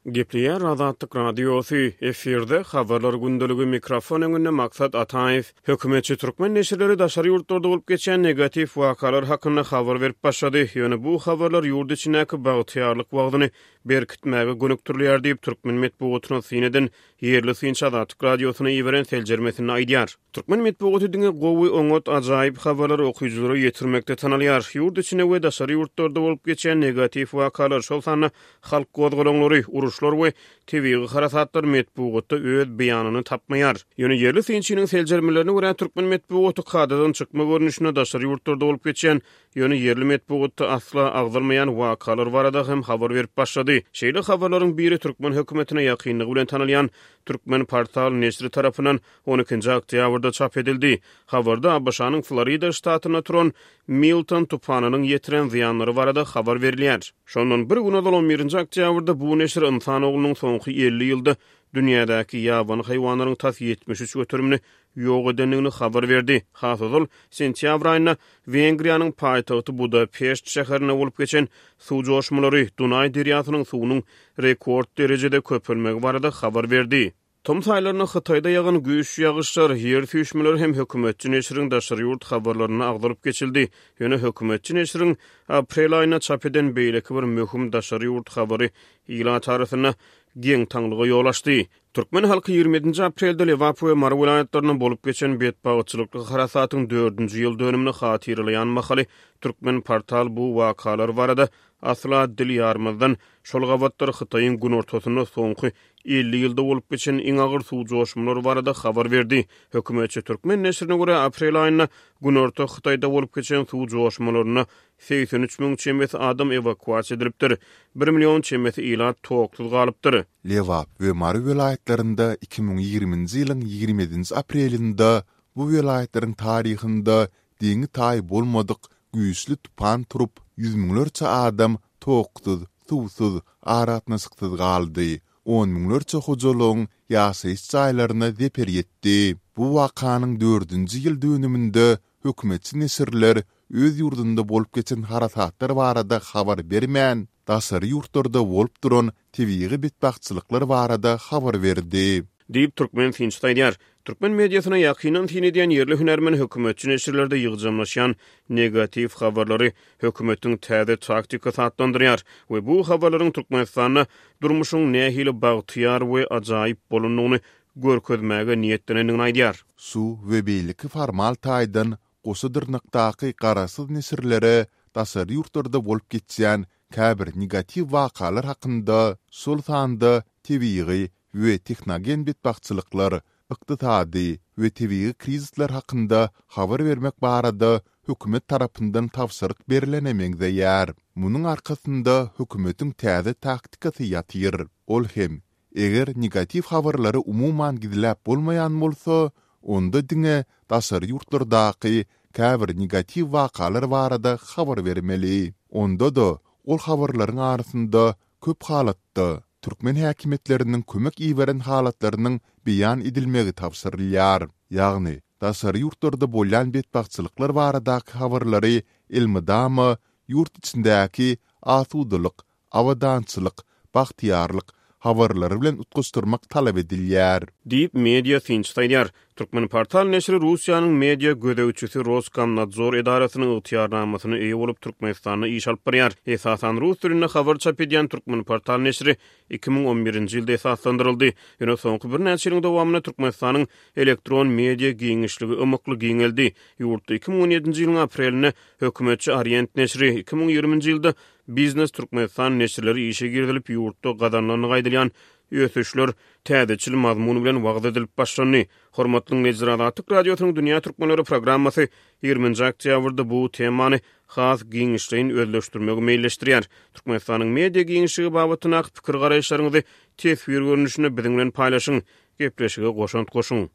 Gepleýär Azatlyk Radiosy, efirde Habarlar gündeligi, mikrofon öňünde Maksat Ataýew. Hökümetçi türkmen neşirleri daşary ýurtlarda bolup geçýän negatiw wakalar hakynda habar berip başlady. Ýöne bu habarlar ýurt içindäki bagtyýarlyk wagzyny berkitmäge gönükdirilýär diýip, türkmen metbugatyna syn eden ýerli synçy Azatlyk Radiosyna iberen seljermesinde aýdýar. Türkmen metbugaty diňe gowy, oňat, ajaýyp habarlary okyjylara ýetirmekde tanalýar. Ýurt içinde we daşary ýurtlarda bolup geçýän negatiw wakalar, şol sanda halk gozgalaňlary, uruşlar we tebigy harasatlar metbugatda öz beýanyny tapmaýar. Ýöne ýerli synçynyň seljermelerine görä, türkmen metbugaty kadadan çykma görnüşinde daşary ýurtlarda bolup geçýän, ýöne ýerli metbugatda asla agzalmaýan wakalar barada hem habar berip başlady. Şeýle habarlaryň biri türkmen hökümetine ýakynlygy bilen tanalýan Türkmenportal neşiri tarapyndan On ikinji oktýabrda çap edildi. Habarda ABŞ-nyň Florida ştatynda turan Milton tupanynyň ýetiren zyýanlary barada habar berilýär. Şondan bir gün ozal, on birinji oktýabrda bu neşir ynsan oglunyň soňky 50 ýylda dünýädäki ýabany haýwanlaryň tas 73 göterimini ýok edendigini habar berdi. Has ozal, sentýabr aýynda Wengriýanyň paýtagty Budapeşt şäherinde bolup geçen suw joşmalary Dunaý derýasynyň suwunyň rekord derejede köpelmegi barada habar berdi. Tomus aýlarynda Hytaýda ýagan güýçli ýagyşlar, ýer süýşmeleri hem hökümetçi neşiriň daşary ýurt habarlarynda agzalyp geçildi. Ýöne hökümetçi neşiriň aprel aýynda çap eden beýleki bir möhüm daşary ýurt habary ilat arasynda geň-taňlyga ýol açdy. Türkmen halky 27-nji aprelde Lebap we Mary welaýatlarynda bolup geçen betbagtçylykly harasatyň dördünji ýyl dönümini hatyralaýan mahaly Türkmenportal bu wakalar barada asla dil ýarmazdan, şol gabatlar Hytaýyň günortasynda soňky 50 ýylda bolup geçen iň agyr suw joşmalary barada habar berdi. Hökümetçi türkmen neşirine görä, aprel aýynda günorta Hytaýda bolup geçen suw joşmalarynda 83 müň çemesi adam ewakuasiýa edilipdir, bir million çemesi ilat toksuz galypdyr. Lebap we Mary welaýatlarynda 2020-nji ýylyň 27-nji aprelinde bu welaýatlaryň taryhynda deňi-taýy bolmadyk güýçli tupan turup, ýüz müňlerçe adam toksuz, suwsuz, aragatnaşyksyz galdy, on müňlerçe hojalygyň ýaşaýyş jaýlaryna zeper ýetdi. Bu wakanyň dördünji ýyl dönüminde hökümetçi neşirler öz ýurdunda bolup geçen harasatlar barada habar bermän, daşary ýurtlarda bolup duran tebigy betbagtçylyklar barada habar berdi. Diýip, türkmen synçysy aýdýar. Türkmen mediasyna ýakyndan syn edýän ýerli hünärmen hökümetçi neşirlerde ýygjamlaşýan negatiw habarlary hökümetiň täze taktikasy atlandyrýar we bu habarlaryň Türkmenistanda durmuşyň nähili bagtyýar we ajaýyp bolandygyny görkezmäge niýetlenendigini aýdýar. Şu we beýleki formal taýdan goşa dyrnakdaky garaşsyz neşirlere daşary ýurtlarda bolup geçýän käbir negatiw wakalar hakynda, şol sanda tebigy we tehnogen betbagtçylyklar, ykdysady we tebigy krizisler hakynda habar bermek barada hökümet tarapyndan tabşyryk berlene meňzeýär. Munuň arkasynda hökümetiň täze taktikasy ýatyr. Ol hem, eger negatiw habarlary umuman gizläp bolmaýan bolsa, onda diňe daşary ýurtlardaky käbir negatiw wakalar barada habar bermeli. Onda-da ol habarlaryň arasynda köp halatda türkmen häkimiýetleriniň kömek iberen halatlarynyň beýan edilmegi tabşyrylýar. Ýagny, daşary ýurtlarda bolýan betbagtçylyklar baradaky habarlary elmydama ýurt içindäki asudalyk, abadançylyk, bagtyýarlyk habarlary bilen utgaşdyrmak talap edilýär. Diýip, media synçysy aýdýar. Türkmenportal neşiri Russiýanyň media gözegçisi Roskomnadzor edarasynyň ygtyýarnamasyna eýe bolup, Türkmenistanda iş alyp barýar. Esasan rus dilinde habar çap edýän Türkmenportal neşiri 2011-nji ýylda esaslandyryldy. Ýöne soňky birnäçe ýylyň dowamynda Türkmenistanyň elektron media giňişligi ymykly giňeldi. Ýurtda 2017-nji ýylyň aprelinde hökümetçi Orient neşiri, 2020-nji ýylda Biznes Türkmenistan neşirleri işe girizilip, ýurtda gazanylandygy aýdylýan ösüşler täzeçil mazmun bilen wagyz edilip başlandy. Hormatly diňleýjiler, Azatlyk Radiosynyň Dünýä Türkmenleri programmasy 20-nji oktýabrda bu temany has giňişleýin özleşdirmegi meýilleşdirýär. Türkmenistanyň media giňişligi babatyndaky pikir-garaýyşlaryňyzy teswir görnüşinde biziň bilen paýlaşyň, gepleşige goşant goşuň.